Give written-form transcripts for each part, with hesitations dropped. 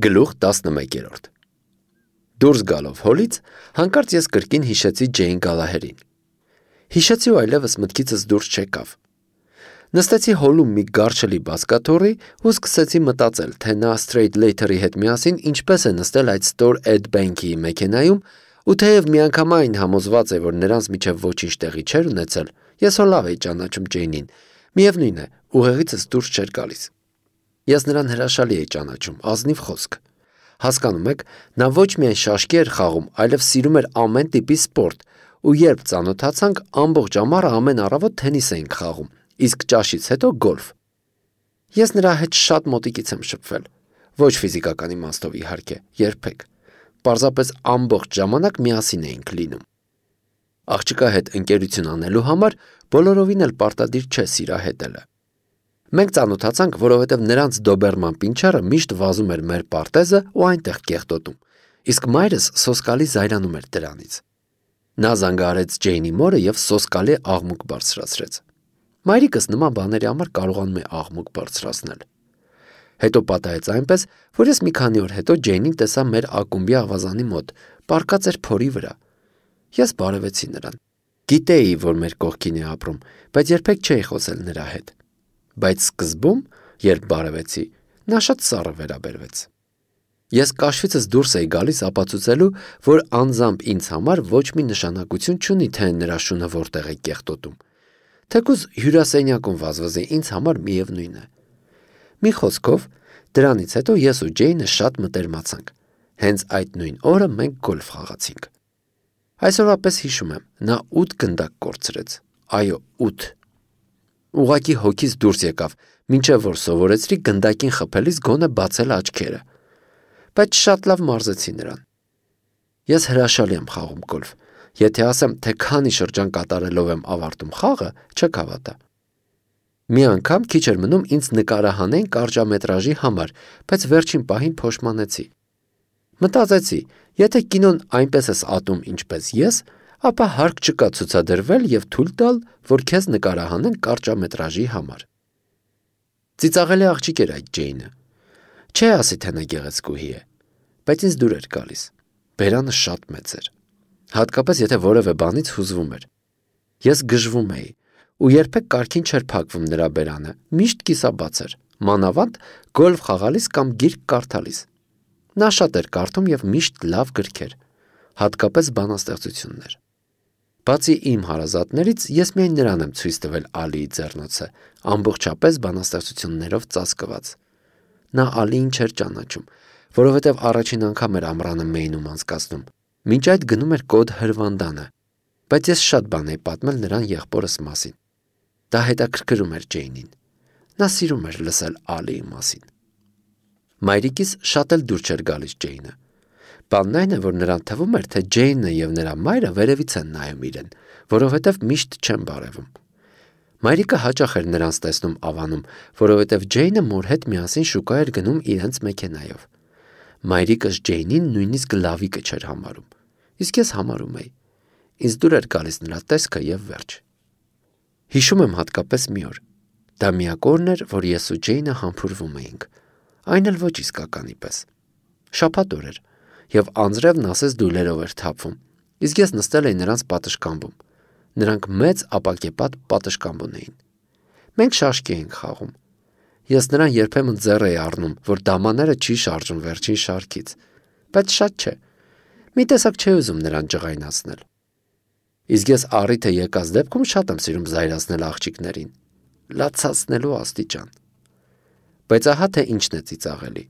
Գլուխ 11 Դուրս գալով հոլից, հանկարծ ես կրկին հիշեցի Ջեյն Գալահերին։ Հիշեցի ու այլևս մտքիցս դուրս չեկավ։ Նստեցի հոլում մի գարշելի բազկաթոռի ու սկսեցի մտածել, թե նա Straight Later-ի հետ միասին ինչպես է նստել այդ Store Ed Bank-ի մեքենայում, ու թեև միանգամայն համոզված է, որ նրանց միջև ոչինչ տեղի չէր ունեցել, ես հո լավ էի ճանաչում Ջեյնին, միևնույն է, ուղեղիցս դուրս չէր գալիս։ Ես նրան հրաշալի էի ճանաչում, ազնիվ խոսք։ Հասկանում եք, նա ոչ միայն շաշկի էր խաղում, այլև սիրում էր ամեն տիպի սպորտ, ու երբ ծանոթացանք, ամբողջ ամառը ամեն առավոտ թենիս էինք խաղում, իսկ ճաշից հետո գոլֆ։ Ես նրա հետ շատ մոտիկից եմ շփվել, ոչ ֆիզիկական իմաստով իհարկե, երբեք։ Պարզապես ամբողջ ժամանակ միասին էինք լինում։ Աղջկա հետ ընկերություն անելու համար բոլորովին էլ պարտադիր չէ սիրահետելը։ Մենք ծանոթացանք, որովհետև նրանց դոբերման պինչերը միշտ վազում էր մեր պարտեզը ու այնտեղ կեղտոտում, իսկ մայրս սոսկալի զայրանում էր դրանից։ Նա զանգահարեց Ջեյնի մորը և սոսկալի աղմուկ բարձրացրեց։ Մայրիկս նման բաների համար կարողանում է աղմուկ բարձրացնել։ Հետո պատահեց այնպես, որ ես մի քանի օր հետո Ջեյնին տեսա մեր ակումբի ավազանի մոտ, պառկած էր փորի վրա։ Ես բարևեցի նրան։ Գիտեի, որ մեր կողքին է ապրում, բայց երբեք չէի խոսել նրա հետ։ Բայց սկզբում, երբ բարևեցի, նա շատ սառը վերաբերվեց։ Ես կաշվիցս դուրս էի գալիս ապացուցելու, որ անձամբ ինձ համար ոչ մի նշանակություն չունի, թե նրա շունը որտեղ է կեղտոտում։ Թեկուզ հյուրասենյակում վազվզի ինձ համար միևնույն է։ Մի խոսքով, դրանից հետո ես ու Ջեյնը շատ մտերմացանք։ Հենց այդ նույն օրը մենք գոլֆ խաղացինք։ Այսօրվա պես հիշում եմ, նա 8 գնդակ կորցրեց։ Այո, 8։ Ուղղակի հոգիս դուրս եկավ, մինչև որ սովորեցրի գնդակին խփելիս գոնե բացել աչքերը։ Բայց շատ լավ մարզեցի նրան։ Ես հրաշալի եմ խաղում գոլֆ։ Եթե ասեմ, թե քանի շրջան կատարելով եմ ավարտում խաղը, չեք հավատա։ Մի անգամ քիչ էր մնում ինձ նկարահանեն կարճամետրաժի համար, բայց վերջին պահին փոշմանեցի։ Մտածեցի, եթե կինոն այնպես ես ատում, ինչպես ես, ապա հարկ չկա ցուցադրվել և թույլ տալ, որ քեզ նկարահանեն կարճամետրաժի համար։ Ծիծաղելի աղջիկ էր այդ Ջեյնը։ Չէ ասի, թե նա գեղեցկուհի է, բայց ինձ դուր էր գալիս։ Բերանը շատ մեծ էր։ Հատկապես եթե որևէ բանից հուզվում էր։ Ես գժվում էի, ու երբեք կարգին չէր փակվում նրա բերանը, միշտ կիսաբաց էր, մանավանդ գոլֆ խաղալիս կամ գիրք կարդալիս։ Նա շատ էր կարդում և միշտ լավ գրքեր, հատկապես բանաստեղծություններ։ Բացի իմ հարազատներից, ես միայն նրան եմ ցույց տվել Ալիի ձեռնոցը, ամբողջապես բանաստեղծություններով ծածկված։ Նա Ալիին չէր ճանաչում, որովհետև առաջին անգամ էր ամռանը Մեյնում անցկացնում, մինչ այդ գնում էր կոդ հրվանդանը, բայց ես շատ բան էի պատմել նրան եղբորս մասին։ Դա հետաքրքրում էր Ջեյնին։ Նա սիրում էր լսել Ալիի մասին։ Մայրիկիս շատ էլ դուր չէր գալիս Ջեյնը։ Բանն այն է, որ նրան թվում էր, թե Ջեյնը և նրա մայրը վերևից են նայում իրեն, որովհետև միշտ չեն բարևում։ Մայրիկը հաճախ էր նրանց տեսնում ավանում, որովհետև Ջեյնը մոր հետ միասին շուկա էր գնում իրենց մեքենայով։ Մայրիկս Ջեյնին նույնիսկ լավիկը չէր համարում, իսկ ես համարում էի։ Ինձ դուր էր գալիս նրա տեսքը և վերջ։ Հիշում եմ հատկապես մի օր։ Դա միակ օրն էր, որ ես ու Ջեյնը համբուրվում էինք, այն էլ ոչ իսկականի պես։ Շաբաթ օր էր, և անձրևն ասես դույլերով էր թափվում, իսկ ես նստել էի նրանց պատշգամբում։ Նրանք մեծ ապակեպատ պատշգամբ ունեին։ Մենք շաշկի էինք խաղում։ Ես նրան երբեմն ձեռ էի առնում, որ դամաները չի շարժում վերջին շարքից, բայց շատ չէ։ Մի տեսակ չէի ուզում նրան ջղայնացնել։ Իսկ ես առիթը եկած դեպքում շատ եմ սիրում զայրացնել աղջիկներին, լացացնելու աստիճան։ Բայց ահա թե ինչն է ծիծաղելի։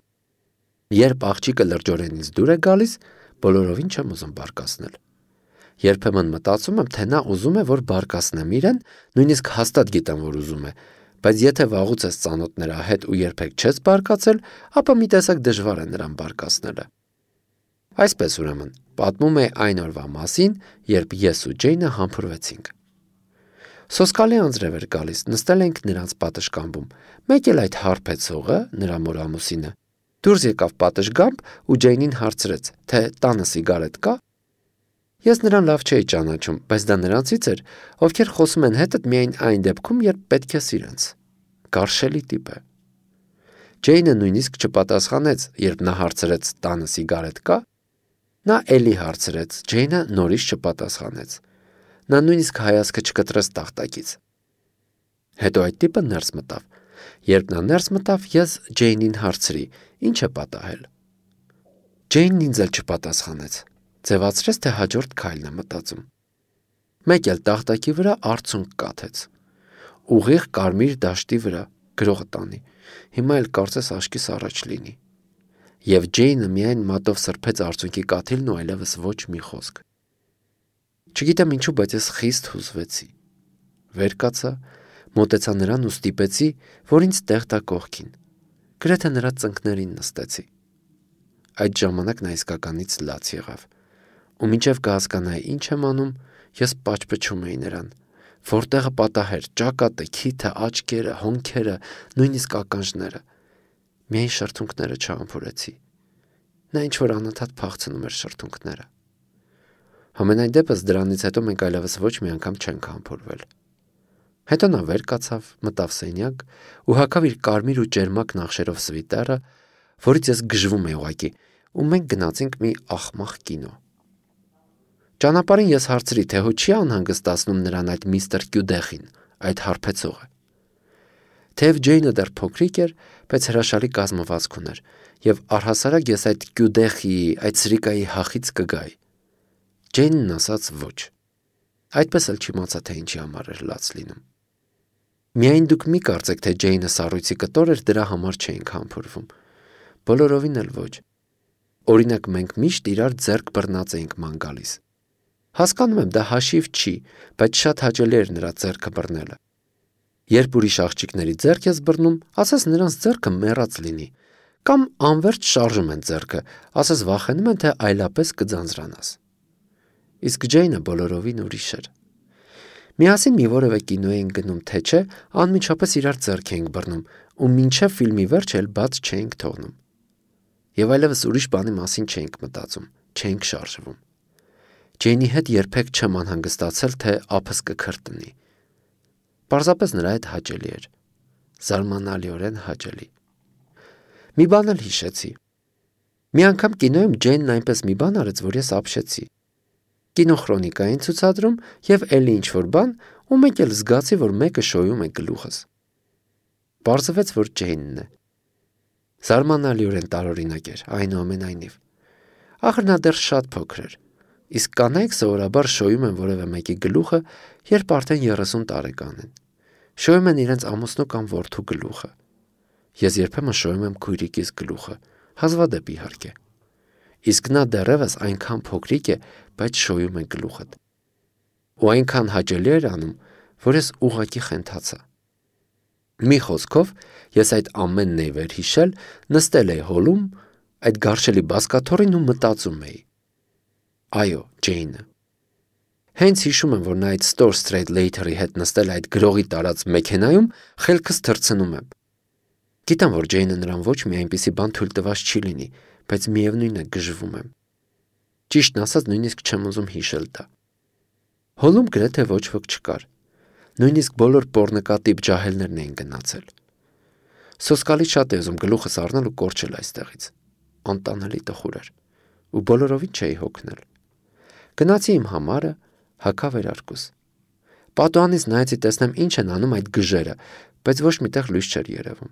Երբ աղջիկը լրջորեն ինձ դուր է գալիս, բոլորովին չեմ ուզում բարկացնել։ Երբեմն մտածում եմ, թե նա ուզում է, որ բարկացնեմ իրեն, նույնիսկ հաստատ գիտեմ, որ ուզում է, բայց եթե վաղուց ես ծանոթ նրա հետ ու երբեք չես բարկացել, ապա մի տեսակ դժվար է նրան բարկացնելը։ Այսպես ուրեմն, պատմում է այն օրվա մասին, երբ ես ու Ջեյնը համբուրվեցինք։ Սոսկալի անձրև էր գալիս, նստել էինք նրանց պատշգամբում, մեկ էլ այդ հարբեցողը, նրա մոր ամուսինը, դուրս եկավ պատշգամբ ու Ջեյնին հարցրեց, թե տանը սիգարետ կա։ Ես նրան լավ չէի ճանաչում, բայց դա նրանցից էր, ովքեր խոսում են հետդ միայն այն դեպքում, երբ պետք է սիրենց։ Գարշելի տիպ է։ Ջեյնը նույնիսկ չպատասխանեց, երբ նա հարցրեց տանը սիգարետ կա, նա էլի հարցրեց, Ջեյնը նորից չպատասխանեց։ Նա նույնիսկ հայացքը չկտրեց տախտակից։ Հետո այդ տիպը ներս մտավ։ Երբ նա ներս մտավ, ես Ջեյնին հարցրի. «Ինչ է պատահել»։ Ջեյնն ինձ էլ չպատասխանեց։ Ձևացրեց, թե հաջորդ քայլն է մտածում։ Մեկ էլ տախտակի վրա արցունք կաթեց։ Ուղիղ կարմիր դաշտի վրա, գրողը տանի։ Հիմա էլ կարծես աշկիս առաջ լինի։ Եվ Ջեյնը միայն մատով սրբեց արցունքի կաթիլն ու այլևս ոչ մի խոսք։ Չգիտեմ ինչու, բայց ես խիստ հուզվեցի։ Վեր կացա, մոտեցա նրան ու ստիպեցի, որ ինձ տեղ տա կողքին։ Գրեթե նրա ծնկներին նստեցի։ Այդ ժամանակ նա իսկականից լաց եղավ։ Ու մինչև կհասկանայի ինչ եմ անում, ես պաճպճում էի նրան։ Որտեղը պատահեր, ճակատը, քիթը, աչքերը, հոնքերը, նույնիսկ ականջները։ Միայն շրթունքները չհամբուրեցի։ Նա ինչ-որ անընդհատ փախցնում էր շրթունքները։ Համենայն դեպս դրանից հետո մենք այլևս ոչ մի անգամ չենք համբուրվել։ Հետո նա վեր կացավ, մտավ սենյակ ու հագավ իր կարմիր ու ճերմակ նախշերով սվիտերը, որից ես գժվում էի ուղղակի, ու մենք գնացինք մի աղմաղ կինո։ Ճանապարհին ես հարցրի, թե հո չի անհանգստացնում նրան այդ միստր Կյուդեխին, այդ հարբեցողը։ Թեև Ջեյնը դեռ փոքրիկ էր, բայց հրաշալի կազմվածք ուներ, եւ առհասարակ ես այդ Կյուդեխի, այդ սրիկայի հախից կգայի։ Ջեյնն ասաց ոչ։ Այդպես էլ չիմացա, թե ինչի համար էր լաց լինում։ Միայն դուք մի կարծեք, թե Ջեյնը սառույցի կտոր էր, դրա համար չէինք համբուրվում։ Բոլորովին էլ ոչ։ Օրինակ մենք միշտ իրար ձեռք բռնած էինք ման գալիս։ Հասկանում եմ, դա հաշիվ չի, բայց շատ հաճելի էր նրա ձեռքը բռնելը։ Երբ ուրիշ աղջիկների ձեռք ես բռնում, ասես նրանց ձեռքը մեռած լինի, կամ անverջ շարժում են ձեռքը, ասես վախենում են, թե այլապես կձանձրանաս։ Իսկ Ջեյնը բոլորովին ուրիշ էր։ Միասին մի որևէ կինո էինք գնում, թե չէ, անմիջապես իրար ձեռք էինք բռնում ու մինչև ֆիլմի վերջը էլ բաց չէինք թողնում։ Եվ այլևս ուրիշ բանի մասին չէինք մտածում, չէինք շարժվում։ Ջեյնի հետ երբեք չեմ անհանգստացել, թե ափս կքրտնի։ Պարզապես նրա հետ հաճելի էր։ Զարմանալիորեն հաճելի։ Մի բան էլ հիշեցի։ Մի անգամ կինոյում Ջեյնն այնպես մի բան արեց, որ ես ապշեցի։ Կինոխրոնիկա էին ցուցադրում եւ էլի ինչ-որ բան, ու մեկ էլ զգացի, որ մեկը շոյում է գլուխս։ Պարզվեց, որ Ջեյնն է։ Զարմանալիորեն տարօրինակ էր, այնուամենայնիվ։ Ախր նա դեռ շատ փոքր էր։ Իսկ կանայք սովորաբար շոյում են որևէ մեկի գլուխը, երբ արդեն 30 տարեկան են։ Շոյում են իրենց ամուսնու կամ որդու գլուխը։ Ես երբեմն շոյում եմ քույրիկիս գլուխը, հազվադեպ իհարկե։ Իսկ նա դեռևս այնքան փոքրիկ է, բայց շոյում է գլուխդ։ Ու այնքան հաճելի էր անում, որ ես ուղղակի խենթացա։ Մի խոսքով, ես այդ ամենն էի վերհիշել, նստել էի հոլում, այդ գարշելի բազկաթոռին ու մտածում էի. Այո, Ջեյնը։ Հենց հիշում եմ, որ նա այդ Store Straight Later-ի հետ նստել այդ գրողի տարած մեքենայում, խելքս թռցնում եմ։ Գիտեմ, որ Ջեյնը նրան ոչ մի այնպիսի բան թույլ տված չի լինի, բայց միևնույն է գժվում եմ։ Ճիշտն ասած, նույնիսկ չեմ ուզում հիշել դա։ Հոլում գրեթե ոչ ոք չկար։ Նույնիսկ բոլոր պոռնկատիպ ջահելներն էին գնացել։ Սոսկալի շատ է ուզում գլուխս առնել ու կորչել այստեղից։ Անտանելի տխուր էր։ Ու բոլորովին չէի հոգնել։ Գնացի իմ համարը, հագա վերարկուս։ Պատուհանից նայեցի տեսնեմ ինչ են անում այդ գժերը, բայց ոչ միտեղ լույս չէր երևում։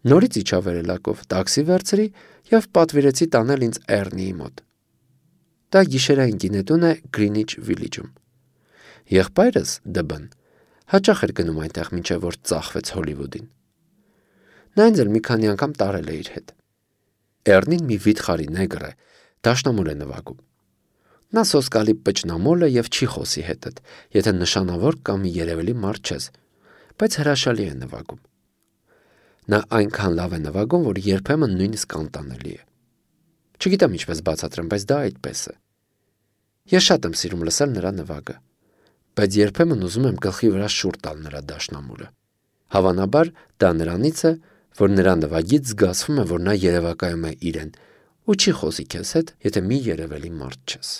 Նորից իջա վերելակով, տաքսի վերցրի եւ պատվիրեցի տանել ինձ Էրնիի մոտ։ Դա գիշերային գինետուն է Գրինիչ Վիլիջում։ Եղբայրս Դբն հաճախ էր գնում այնտեղ, մինչև որ ծախվեց Հոլիվուդին։ Նա ինձ էլ մի քանի անգամ տարել է իր հետ։ Էրնին մի վիթխարի նեգր է, դաշնամուր է նվագում։ Նա սոսկալի պճնամոլ է եւ չի խոսի հետդ, եթե նշանավոր կամ երևելի մարդ չես, բայց հրաշալի է նվագում։ Նա այնքան լավ է նվագում, որ երբեմն նույնիսկ անտանելի է։ Չգիտեմ ինչպես բացատրեմ, բայց դա այդպես է։ Ես շատ եմ սիրում լսել նրա նվագը, բայց երբեմն ուզում եմ գլխի վրա շուռ տալ նրա դաշնամուրը։ Հավանաբար դա նրանից է, որ նրա նվագից զգացվում է, որ նա երևակայում է իրեն ու չի խոսի քեզ հետ, եթե մի երևելի մարդ չես։